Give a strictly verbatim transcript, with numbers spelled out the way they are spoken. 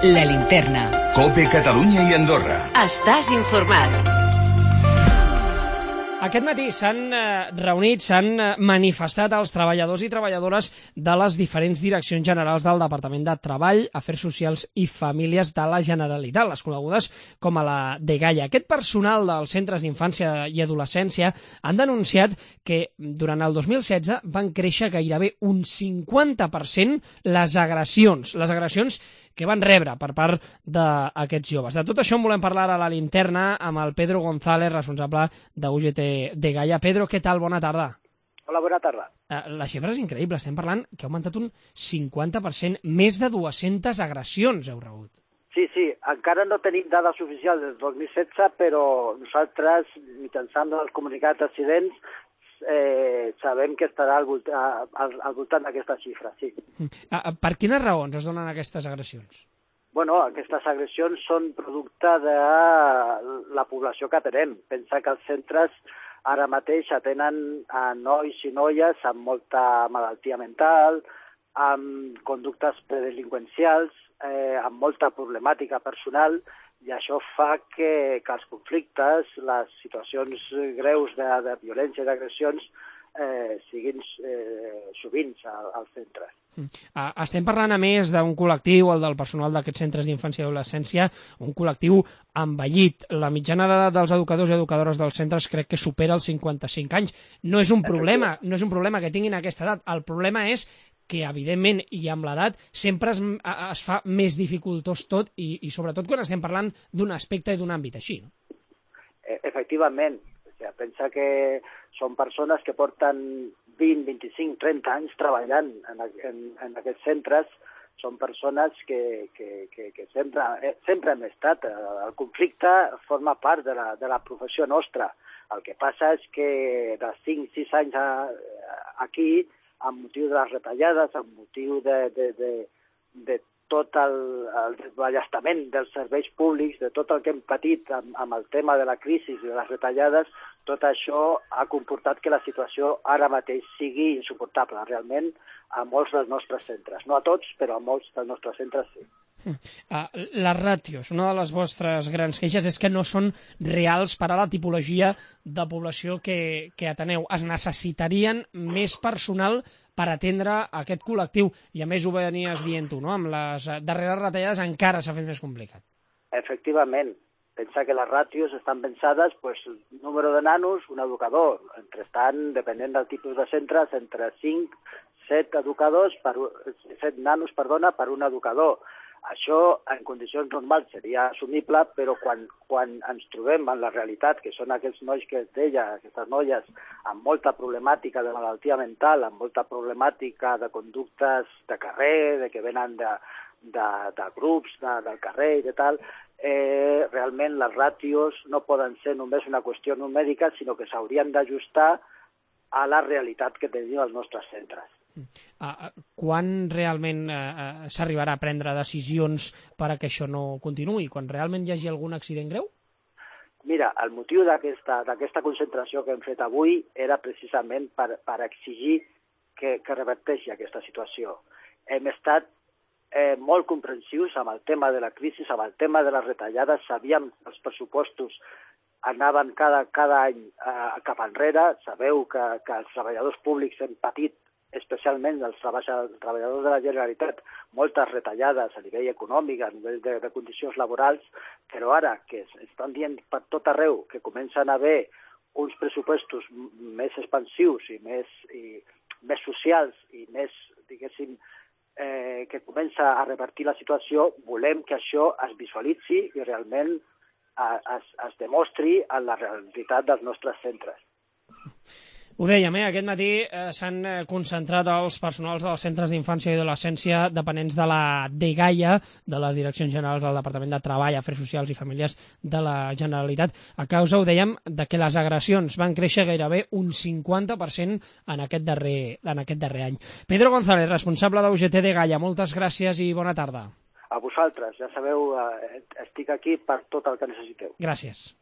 La Linterna. COPE Catalunya i Andorra. Estàs informat. Aquest matí s'han eh, reunit, s'han eh, manifestat els treballadors i treballadores de les diferents direccions generals del Departament de Treball, Afers Socials i Famílies de la Generalitat, les conegudes com a la dgaia. Aquest personal dels centres d'infància i adolescència han denunciat que durant el dos mil setze van créixer gairebé un cinquanta per cent les agressions, les agressions que van rebre per part d'aquests joves. De tot això en volem parlar a la Linterna amb el Pedro González, responsable de U G T dgaia. Pedro, què tal? Bona tarda. Hola, bona tarda. La xifra és increïble. Estem parlant que ha augmentat un cinquanta per cent, més de dues-centes agressions heu rebut. Sí, sí, encara no tenim dades oficials del dos mil setze, però nosaltres, mitjançant els comunicats d'accidents, eh, sabem que estarà al, volta, al, al voltant d'aquesta xifra, sí. Per quines raons es donen aquestes agressions? Bueno, aquestes agressions són producte de la població que tenem. Pensa que els centres ara mateix atenen a nois i noies amb molta malaltia mental, amb conductes predelinqüencials, eh, amb molta problemàtica personal, i això fa que, que els conflictes, les situacions greus de, de violència i d'agressions eh, siguin eh, sovint als centres. Estem parlant, a més, d'un col·lectiu, el del personal d'aquests centres d'infància i adolescència, un col·lectiu envellit. La mitjana de, dels educadors i educadores dels centres crec que supera els cinquanta-cinc anys. No és un problema, no és un problema que tinguin aquesta edat. El problema és que, evidentment, i amb l'edat, sempre es, es fa més dificultós tot i, i sobretot quan estem parlant d'un aspecte i d'un àmbit així. No? Efectivament. O sigui, pensa que són persones que porten vint, vint-i-cinc, trenta anys treballant en, en, en aquests centres, són persones que, que, que, que sempre, sempre hem estat. El conflicte forma part de la, de la professió nostra. El que passa és que de cinc, sis anys a, aquí, amb motiu de les retallades, amb motiu de, de, de, de tot el, el desballestament dels serveis públics, de tot el que hem patit amb, amb el tema de la crisi i de les retallades, tot això ha comportat que la situació ara mateix sigui insuportable, realment, a molts dels nostres centres. No a tots, però a molts dels nostres centres sí. Les ràtios, una de les vostres grans queixes és que no són reals per a la tipologia de població que, que ateneu. Es necessitarien més personal per atendre aquest col·lectiu, i a més ho venies dient tu, no? Amb les darreres retallades encara s'ha fet més complicat. Efectivament. Pensa que les ràtios estan pensades, pues, número de nanos, un educador. Entretant, depenent del tipus de centres, entre cinc, set educadors, per, set nanos, perdona, per un educador. Això, en condicions normals, seria assumible, però quan, quan ens trobem en la realitat, que són aquests nois que es deia, aquestes noies, amb molta problemàtica de malaltia mental, amb molta problemàtica de conductes de carrer, de que venen de, de, de grups de, del carrer i de tal, eh, realment les ràtios no poden ser només una qüestió numèrica, sinó que s'haurien d'ajustar a la realitat que tenim als nostres centres. Uh, quan realment uh, s'arribarà a prendre decisions per a que això no continuï? Quan realment hi hagi algun accident greu? Mira, el motiu d'aquesta d'aquesta concentració que hem fet avui era precisament per, per exigir que, que reverteixi aquesta situació. Hem estat eh, molt comprensius amb el tema de la crisi, amb el tema de les retallades. Sabíem que els pressupostos anaven cada, cada any eh, cap enrere. Sabeu que, que els treballadors públics hem patit, especialment els treballadors de la Generalitat, moltes retallades a nivell econòmic, a nivell de, de condicions laborals, però ara que estan dient per tot arreu que comencen a haver uns pressupostos més expansius i més, i, més socials i més, diguéssim, eh, que comença a revertir la situació, volem que això es visualitzi i realment es, es demostri en la realitat dels nostres centres. Ho dèiem, eh? Aquest matí eh, s'han concentrat els personals dels centres d'infància i adolescència dependents de la dgaia, de les Direccions Generals del Departament de Treball, Afers Socials i Famílies de la Generalitat, a causa, ho dèiem, de que les agressions van créixer gairebé un cinquanta per cent en aquest darrer, en aquest darrer any. Pedro González, responsable de U G T dgaia, moltes gràcies i bona tarda. A vosaltres, ja sabeu, eh, estic aquí per tot el que necessiteu. Gràcies.